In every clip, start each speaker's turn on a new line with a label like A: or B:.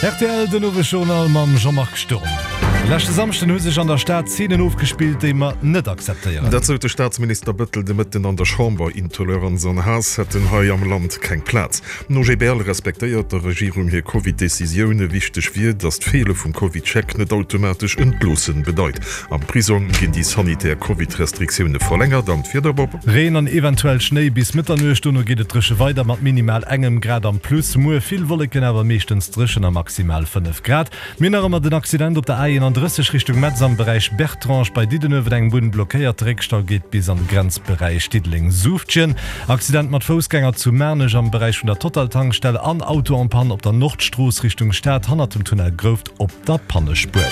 A: Rtl, Den Owesjournal mam Jean-Marc Sturm. Leschte Samschden hu sech an der Stad Zeenen ofgespillt, déi mer net akzeptéieren.
B: Dat sot de Staatsminister Bëttel de Mëtten an der Chamber. Intoleranz an Haass hätten hei am Land keng Plaz. Den OGBL respektéiert der Regierung hir Covid-Decisioune. Wichteg wier, datt d'Feele vum Covid-Check net automatesch Entloossen bedeit. Am Prisong ginn déi sanitär Covid-Restriktioune verlängert. An d'Wieder, Bob?
A: Reen an eventuell Schnéi bis Mëtternuecht, dono geet et dréche weider mat minimal engem Grad am Plus. Muer vill Wolleken, awer meeschtens dréchen a maximal 5 Grad. Mir hunn nach ëmmer den Accident op der A31 Richtung Metz am Beräich Bertrange bei Diddenuewen, eng Bunn blockéiert, de Réckstau geet bis an de Grenzberäich Diddeleng-Suuftgen. Accident mat Foussgänger zu Maarnech am Beräich vun der Total-Tankstell an Auto en panne op der Nordstrooss Richtung Stad hannert dem Tunnel Grouft. Op der Pannespuer.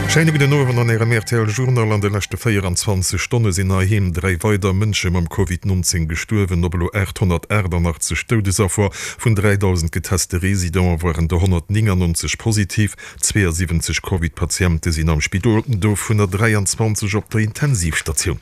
B: Schéine gudden Owend an Ärem rtl Journal. An de leschte 24 Stonne sinn heiheem 3 weider Mënsche mam Covid 19 gestuerwen. Op elo 888 Doudesaffer. Vun 3.000 geteste Residente waren der 199 positiv. 72 Covid-Patiente sinn am Spidol, dovunner 23 op der Intensivstatioun.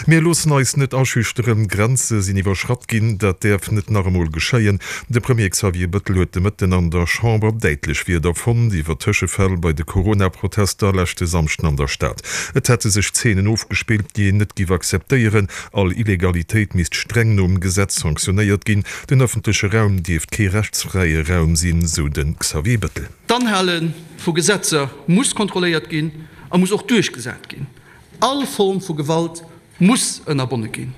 B: Mir loossen eis net aschüchteren. Grenze sinn iwwerschratt ginn. Dat däerf net nach emol geschéien. De Premier Xavier Bëttel huet de Mëtten an der Chamber däitlech Wierder fonnt iwwer Tëschefäll bei de Corona-Protester leschte Samschden an der Stad. Et hätte sech Zeenen ofgespillt, déi een net giff akzeptéieren. All Illegalitéit misst streng nom Gesetz sanktionéiert ginn. Den ëffentleche Raum dierft kee rechtsfräie Raum sinn, sou de Xavier Bëttel.
C: D'Anhale vu Gesetzer muss kontrolléiert ginn a muss och duerchgesat ginn. All Form vu Gewalt muss ënnerbonne ginn.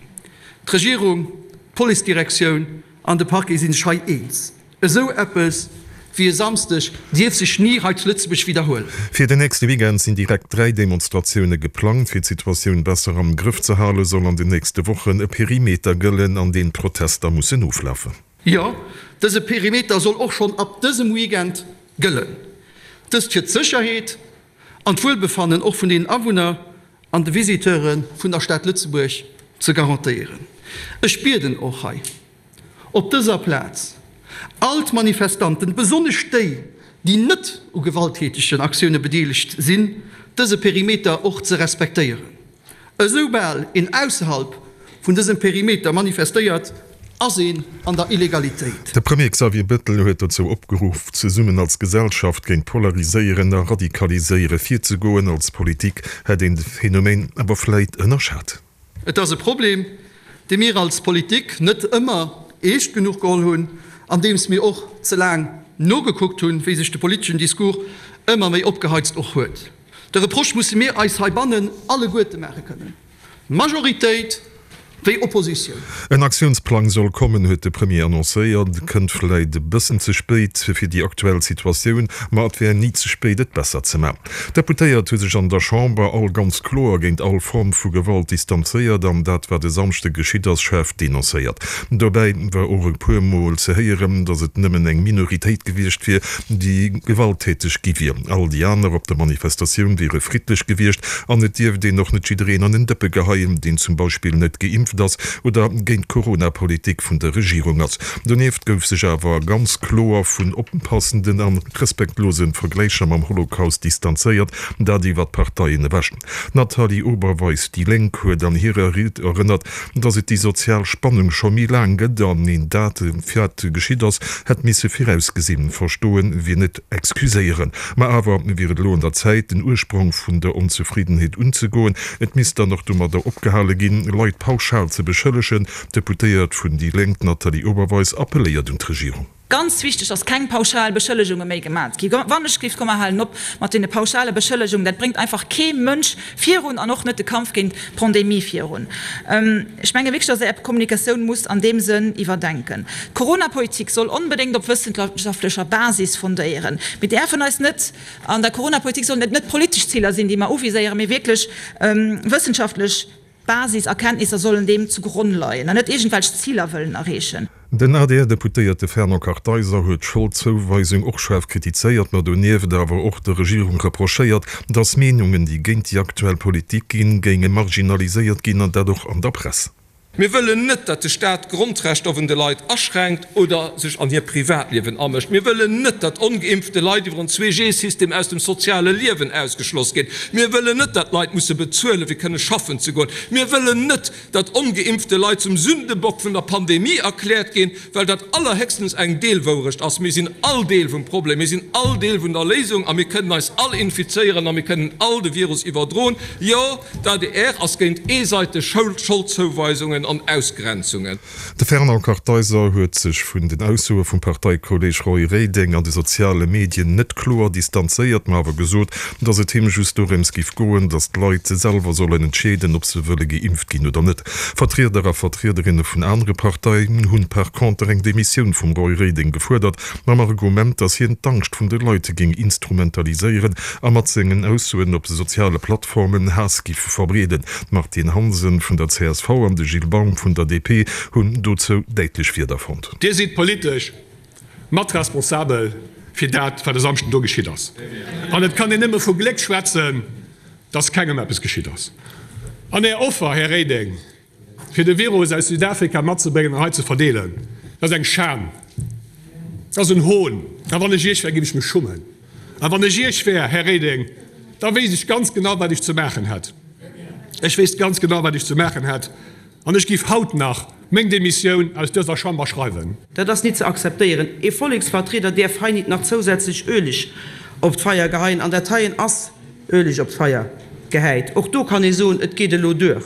C: D'Regierung, d'Policedirektioun an de Parquet si sech hei eens. Esou eppes wéi e Samsdeg dierf sech ni hei zu Lëtzebuerg widderhuelen.
B: Fir den nächste Weekend sinn direkt 3 Demonstratioune geplangt. Fir d'Situatioun besser am Grëff ze hale soll an den nächste Wochen e Perimeter gëllen, an deen d'Protester mussen oflafen.
C: Jo, dëse Perimeter soll och schonn ab dësem Weekend gëllen. Dëst fir d'Sécherheet an d'Wuelbefannen och vun den Awunner an de Visiteure vun der Stad Lëtzebuerg ze garantéieren. Ech bieden och hei op dëser Plaz all d'Manifestanten, besonnesch déi, déi net u gewalttätegen Aktioune bedeelegt sinn, dëse Perimeter och ze respektéieren. Esoubal een ausserhalb vun dësem Perimeter manifestéiert, ass een an der Illegalitéit.
B: De Premier Xavier Bettel huet dozou opgeruff, zesummen als Gesellschaft géint Polariséieren a Radikaliséiere virzegoen. Als Politik hätt een de Phänomen awer vläit ënnerschat.
C: Et ass e Problem, dee mir als Politik net ëmmer eescht genuch geholl hunn, andeems mir och ze laang nogekuckt hunn, wéi sech de politeschen Discours ëmmer méi opgeheizt och huet. De Reproche musse mir eis heibannen alleguerte maache kënnen, Majoritéit wéi Oppositioun.
B: En Aktiounsplang soll kommen, huet de Premier annoncéiert. Kënnt vläit e bëssen ze spéit fir déi aktuell Situatioun, ma et wär ni ze spéit et besser ze man. D'Deputéiert hu sech an der Chamber all ganz kloer géint all Form vu Gewalt distanzéiert an dat wat e Samschde geschitt ass, schaarf denoncéiert. Dobäi war och e puer Mol ze héieren, datt et nëmmen eng Minoritéit gewiescht wier, déi gewalttäteg gi wier. All déi aner op der Manifestatioun wiere friddlech gewiescht an et dierft een och net jiddereen an en Dëppe geheien, deen zum Beispill net geimpft ass oder géint d'Corona-Politik vun der Regierung ass. Donieft gouf sech awer ganz kloer vun onpassenden an respektlose Vergläicher mam Holocaust distanzéiert, dat iwwer d'Parteien ewech. D'Nathalie Oberweis, déi Lénk, huet an hirer Ried erënnert, Datt et déi sozial Spannung scho méi laang gëtt an een dat, wat geschitt ass, hätt misse virausgesinn. Verstoen wier net excuséieren. Ma awer wier et elo un der Zäit, den Ursprong vun der Onzefriddenheet unzegoen. Et misst dann och domadder opgehale ginn, Leit pauschal ze beschëllegen. D'Deputéiert vun déi Lénk, d'Nathalie Oberweis, appelléiert un d'Regierung.
D: Ganz wichteg, dass keng pauschal Beschëllegunge méi gemat gi. Wannechgelift, komm mer halen op mat deene pauschale Beschëllegungen. Dat bréngt einfach kee Mënsch virun an och net de Kampf géint d'Pandemie virun. Ech menge wierklech, dass Der Är Kommunikatioun musst an deem Sënn iwwerdenken. D'Coronapolitik soll onbedéngt op wëssenschaftlecher Basis fondéieren. Mir däerfen eis net, an der Coronapolitik sollen et net politesch Ziler sinn, déi mer uviséieren, mee wierklech wëssenschaftlech. Basiserkenntnisser sollen deem zu Gronn leien an net iergendwelch Ziler wëllen erreechen.
B: Den ADR-Deputéierte Fernand Kartheiser huet d'Scholdzouweisung och schaarf kritizéiert, ma donieft awer och der Regierung reprochéiert, datt Meenungen, déi géint déi aktuell Politik ginn, géinge marginaliséiert ginn, an dat och an der Press.
E: Mir wëllen net, datt de Staat d'Grondrechter vun de Leit aschränkt oder sech an hir Privatliewen amëscht. Mir wëllen net, datt ongeimpfte Leit iwwer en Zwee-G-System aus dem soziale Liewen ausgeschloss ginn. Mir wëllen net, datt Leit musse bezuelen, fir kënne schaffen ze goen. Mir wëllen net, datt ongeimpfte Leit zum Sündebock vun der Pandemie erkläert ginn, well dat allerhéchstens eng Deelwourecht ass. Mir sinn all Deel vum Problem, mir sinn all Deel vun der Léisung a mir kënnen eis all infizéieren a mir kënnen all de Virus iwwerdroen. Jo, d'ADR ass géint eeseiteg Scholdzouweisungen an Ausgrenzungen.
B: De Fernand Kartheiser huet sech vun den Aussoe vum Parteikolleeg Roy Reding an de soziale Medien net kloer distanzéiert, ma awer gesot, datt et him just dorëms giff goen, datt d'Leit selwer sollen entscheeden, ob se wëlle geimpft ginn oder net. Vertrieder a Vertriederinne vun anere Parteien hunn par conter eng Demissioun vum Roy Reding gefuerdert, mam Argument, datt hien d'Angscht vun de Leit géing instrumentaliséieren a mat sengen Aussoen op de soziale Plattformen Haass giff verbreeden. D'Martine Hansen vun der csv an de Gilles Baum vun der DP hunn dozou däitlech Wierder fonnt.
F: Dir sidd politesch mat responsabel fir dat, wat e Samschden do geschitt ass. An et kann een nëmme vu Gléck schwätzen, dass kengem eppes geschitt ass. An Är Offer, Här Reding, fir de Virus aus Südafrika matzebréngen an hei ze verdeelen, dat ass eng Schan, dat ass en Hohn. A wann ech Iech wär, géif ech mech schummen. A wann ech Iech wär, Här Reding, da wéisst ech ganz genau, wat ech ze maachen hätt. Ech wéisst ganz genau, wat ech ze maachen hätt. An ech géif haut nach meng Demissioun aus dëser Chamber schreiwen.
G: Dat ass nit ze akzeptéieren. Ee Volleksvertrieder däerf hei nit nach zousätzlech Öleg op d'Feier geheien. An dat heien ass Öleg op d'Feier gehäit. Och do kann ee soen, et geet elo duer.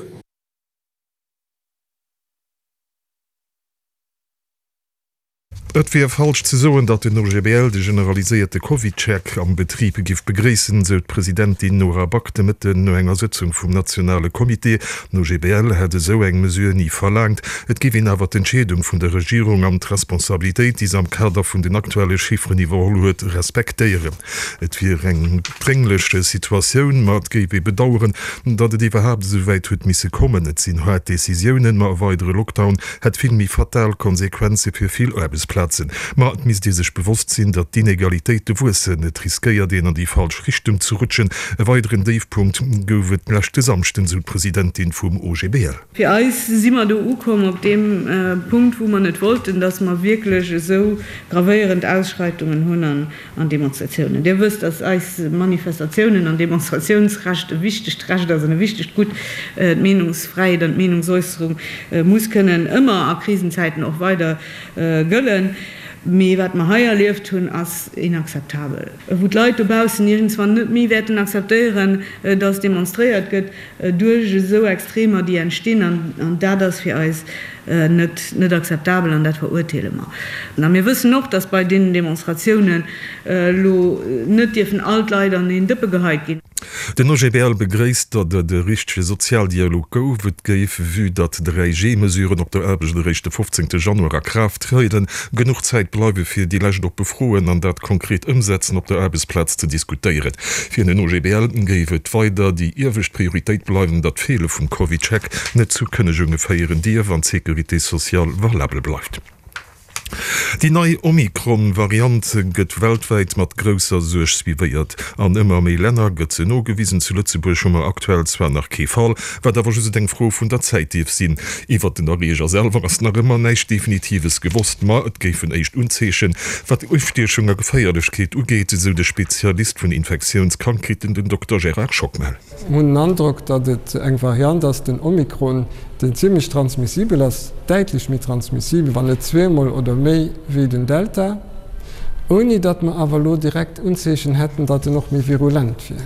B: Et wier falsch ze soen, datt den OGBL de generaliséierte CovidCheck am Betrib giff begréissen, sou d'Presidentin Nora Back de Mëtten no enger Sëtzung vum nationale Comité. Den OGBL hätt esou eng Mesure ni verlaangt. Et géif een awer d'Entscheedung vun der Regierung an d'Responsabilitéit, déi se am Kader vun den aktuelle Chifferen iwwerholl huet, respektéieren. Et wier eng drénglech Situatioun, ma et géif ee bedaueren, datt et iwwerhaapt esou wäit huet misse kommen. Et sinn haart Decisiounen, ma e weidere Lockdown hätt vill méi fatal Konsequenze fir vill Aarbechtsplazen. Ma et misst ee sech bewosst sinn, datt d'Inegalitéite wuessen. Et riskéiert een an déi falsch Richtung ze rutschen. E weideren Déifpunkt gouf et leschte Samschden, sou d'Presidentin vum OGBL.
H: Fir eis si mer do ukomm op deem Punkt, wou mer net wollten, datt mer wierklech esou gravéierend Ausschreitungen hunn an Demonstratiounen. Dir wësst, dass eis Manifestatiounen an Demonstratiounsrecht e wichtegt Recht ass an e wichtegt Gutt. D'Meenungsfräiheet an d'Meenungsäusserung muss kënnen ëmmer a Krisenzäiten och weider gëllen. Mee wat mer hei erlieft hunn, ass inakzeptabel. Wou d'Leit dobaussen iergendswann net méi wäerten akzeptéieren, dass demonstréiert gëtt duerch esou Extremer, déi entstinn. An dat ass fir eis net net akzeptabel an dat verurteele mer. A mir wëssen och, datt bei deenen Demonstratiounen elo net dierfen all d'Leit an een Dëppe geheit ginn.
B: Den OGBL begréisst, datt et e richtege Sozialdialog gouf. Et géif, vue datt 3G-Mesuren op der Aarbecht eréischt de 15 Januar a Kraaft trieden, genuch Zäit bleiwe fir déi lescht oppe Froen an dat konkret Ëmsetzen op der Aarbechtsplaz ze diskutéieren. Fir den OGBL géif et weider déi iewescht Prioritéit bleiwen, datt d'Feele vum CovidCheck net zu Kënnegunge féieren dierf an d'Sécurité sociale valabel bleift. Déi nei Omikron-Variant gëtt weltwäit mat grousser Suerg suivéiert. An ëmmer méi Länner gëtt se nogewisen. Zu Lëtzebuerg hu mer aktuell zwar nach kee Fall, wat awer just eng Fro vun der Zäit dierf sinn. Iwwert den Erreeger selwer ass nach ëmmer näischt Definitives gewosst, ma et géifen éischt Unzeechen, wat Ustiechung a Geféierlechkeet ugeet, esou de Spezialist vun Infektiounskrankheeten, den Dokter Gérard Schockmel.
I: Mir hunn den Androck, datt et eng Variant ass, den Omikron, deen zimlech transmissibel ass, däitlech méi transmissibel, wann net zweemol oder méi wéi den Delta, ouni datt mer awer elo direkt Unzeechen hätten, datt en och méi virulent wier.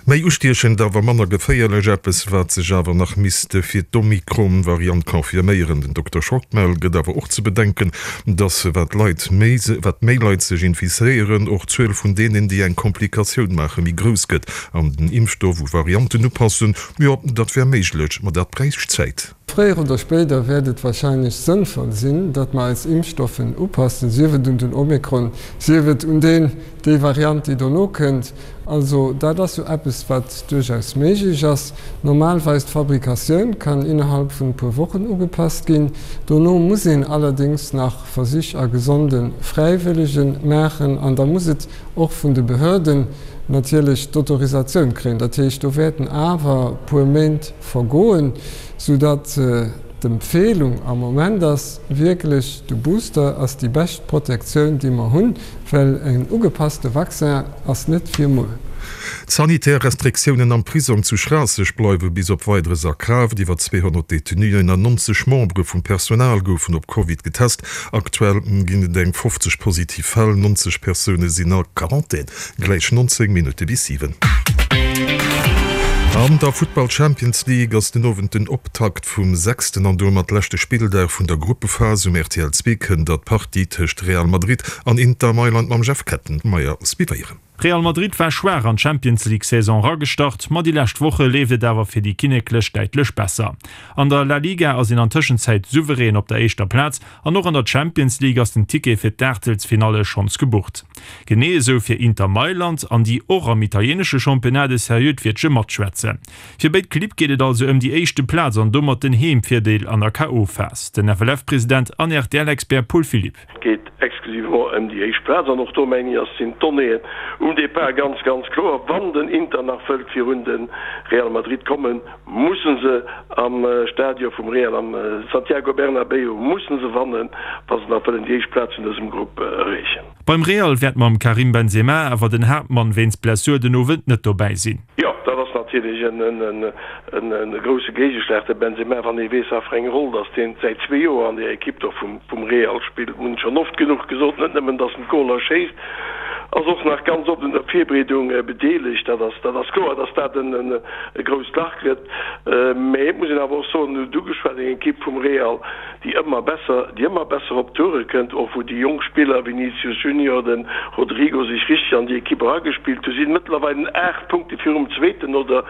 B: Méi ustiechend, awer manner geféierlech, eppes wat sech awer nach misst fir d'Omikron-Variant confirméieren. Den Dokter Schockmel gëtt awer och ze bedenken, datt wat Leit méi wat méi Leit sech infizéieren, och d'Zuel vun deenen, déi eng Komplikatioun maachen, méi grouss gëtt. An den Impfstoff u Varianten upassen, jo dat wär méiglech, ma dat bräicht Zäit.
I: Fréier oder spéider wäert et warscheinlech sënnvoll sinn, datt mer eis Impfstoffen upassen, sief et un den Omikron, sief et un deen, déi Variant, déi dono kënnt. Also dat ass jo eppes, wat duerchaus méiglech ass. Normalweis d'Fabrikatioun kann innerhalb vun e puer Wochen ugepasst ginn. Dono muss een allerdéngs nach Versich a gesonde Fräiwëllege maachen an da muss et och vun de Behörde. natierlech d'Autorisatioun kréien. Dat heescht, do wäerten awer e puer Méint vergoen, soudatt d'Empfeelung am Moment ass wierklech, de Booster ass déi bescht Protektioun, déi mer hunn, well en ugepasste Vaccin ass net fir muer.
B: D'sanitär Restriktiounen am Prisong zu Schraasseg bleiwe bis op Weideres a Kraaft. Iwwer 200 Detenuen an 90 Membere vum Personal goufen op Covid getest. Aktuell ginn et eng 50 positiv Fäll, 90 Persoune sinn a Quarantän. Gläich 19 Minutte bis 7. An der Futtball Champions League ass den Owend den Optakt vum sechsten an domat leschte Spilldag vun der Gruppephas. Um rtl 2 kënnt der d'Partie tëscht Real Madrid an Inter Mailand mam Jeff Kettenmeyer suivéieren.
J: Real Madrid war schwaach an d'Champions League Saison eragestart, ma déi lescht Woche leeft et awer fir déi Kinneklech däitlech besser. An der La Liga ass een an Tëschenzäit souverän op der éischter Plaz an och an der Champions League ass den Ticket fir d'Aachtelsfinalle schonns gebucht. Genee esou fir Inter Mailand, an déi och am italienesche Championnat e seriöt Wiertche matschwätzen. Fir béid Clibb geet et also ëm déi éischte Plaz an domat den Heemvirdeel an der KO-Phas. Den FLF-President an RTL-Expert Paul Philipp.
K: Et geet exclusivement ëm déi éischt Plaz an och do, mengen ech, ass, sinn d'Donnéeën um Depart ganz, ganz kloer. Wann den Inter nach wëllt virun de Real Madrid kommen, musse se am Stadion vum Real, am Santiago Bernabéu, musse se wannen, wa se nach wëllen déi éischt Plaz vun dësem Grupp erreechen.
J: Beim Real wäert mam Karim Benzema awer den Haaptmann wéinst Blessur den Owend net dobäi sinn.
K: Jo, dat ass natierlech e grousse Géigeschlag, de Benzema, wann ee weess, wat fir eng Roll datt deen säit zwee Joer an där Ekipp do vum Real spillt. Mir hunn schonn oft genuch gesot, net nëmmen datt en d'Goler schéisst, ass och nach ganz oft un der Virbereedung bedeelegt. Dat ass, dat ass kloer, datt dat e grousst Lach gëtt. Mä et muss een awer och soen, en huet ugeschwat, eng Ekipp vum Real, déi ëmmer besser, déi ëmmer besser op d'Toure kënnt, och wou déi jonk Spiller, Vinicius Junior, de Rodrygo, sech richteg an déi Ekipp eragespillt hu, sinn mëttlerweil 8 Punkte virum Zweeten no der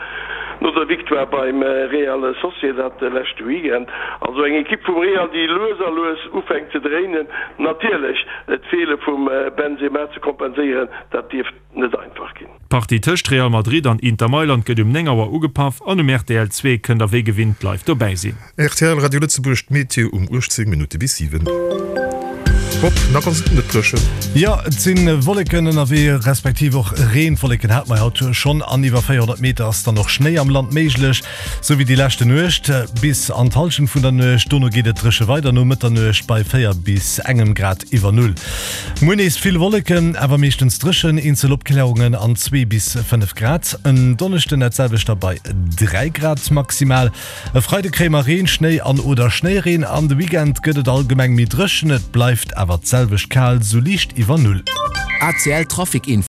K: no der Victoire beim Real Sociedad de leschte Weekend. Also eng Ekipp vum Real, déi lues a lues ufänkt ze dréinen. Natierlech d'Feele vum Benzema ze kompenséieren, dat dierft net einfach ginn.
J: D'Partie tëscht Real Madrid an Inter Mailand gëtt um 9 Auer ugepaff an um rtl 2 kënnt der wéi gewinnt live dobäi sinn.
B: Rtl Radio Lëtzebuerg, D'Meteo um 18 Minutte bis 7. Bob, nach ass et net dréchen.
A: Jo, et si Wolleken ënnerwee, respektiv och Reen. Wolleken hate mer haut schonn an iwwer 400 Meter ass dann och Schnéi am Land méiglech, sou wéi déi leschte Nuecht bis an d'Hallschent vun der Nuecht. Dono geet et dréche weider no Mëtternuecht bei 4 bis engem Grad iwwer Null. Muer nees vill Wolleken, awer meeschtens dréchen, eenzel Opklärungen an 2 bis 5 Grad. En Donneschden dat selwecht da bei 3 Grad maximal. E Freide kréie mer Reen, Schnéi an oder Schnéireen an de Weekend gëtt et allgemeng méi dréchen, et bleift awer d'selwecht kal, sou liicht iwwer Null.
L: ACL Trafic Info.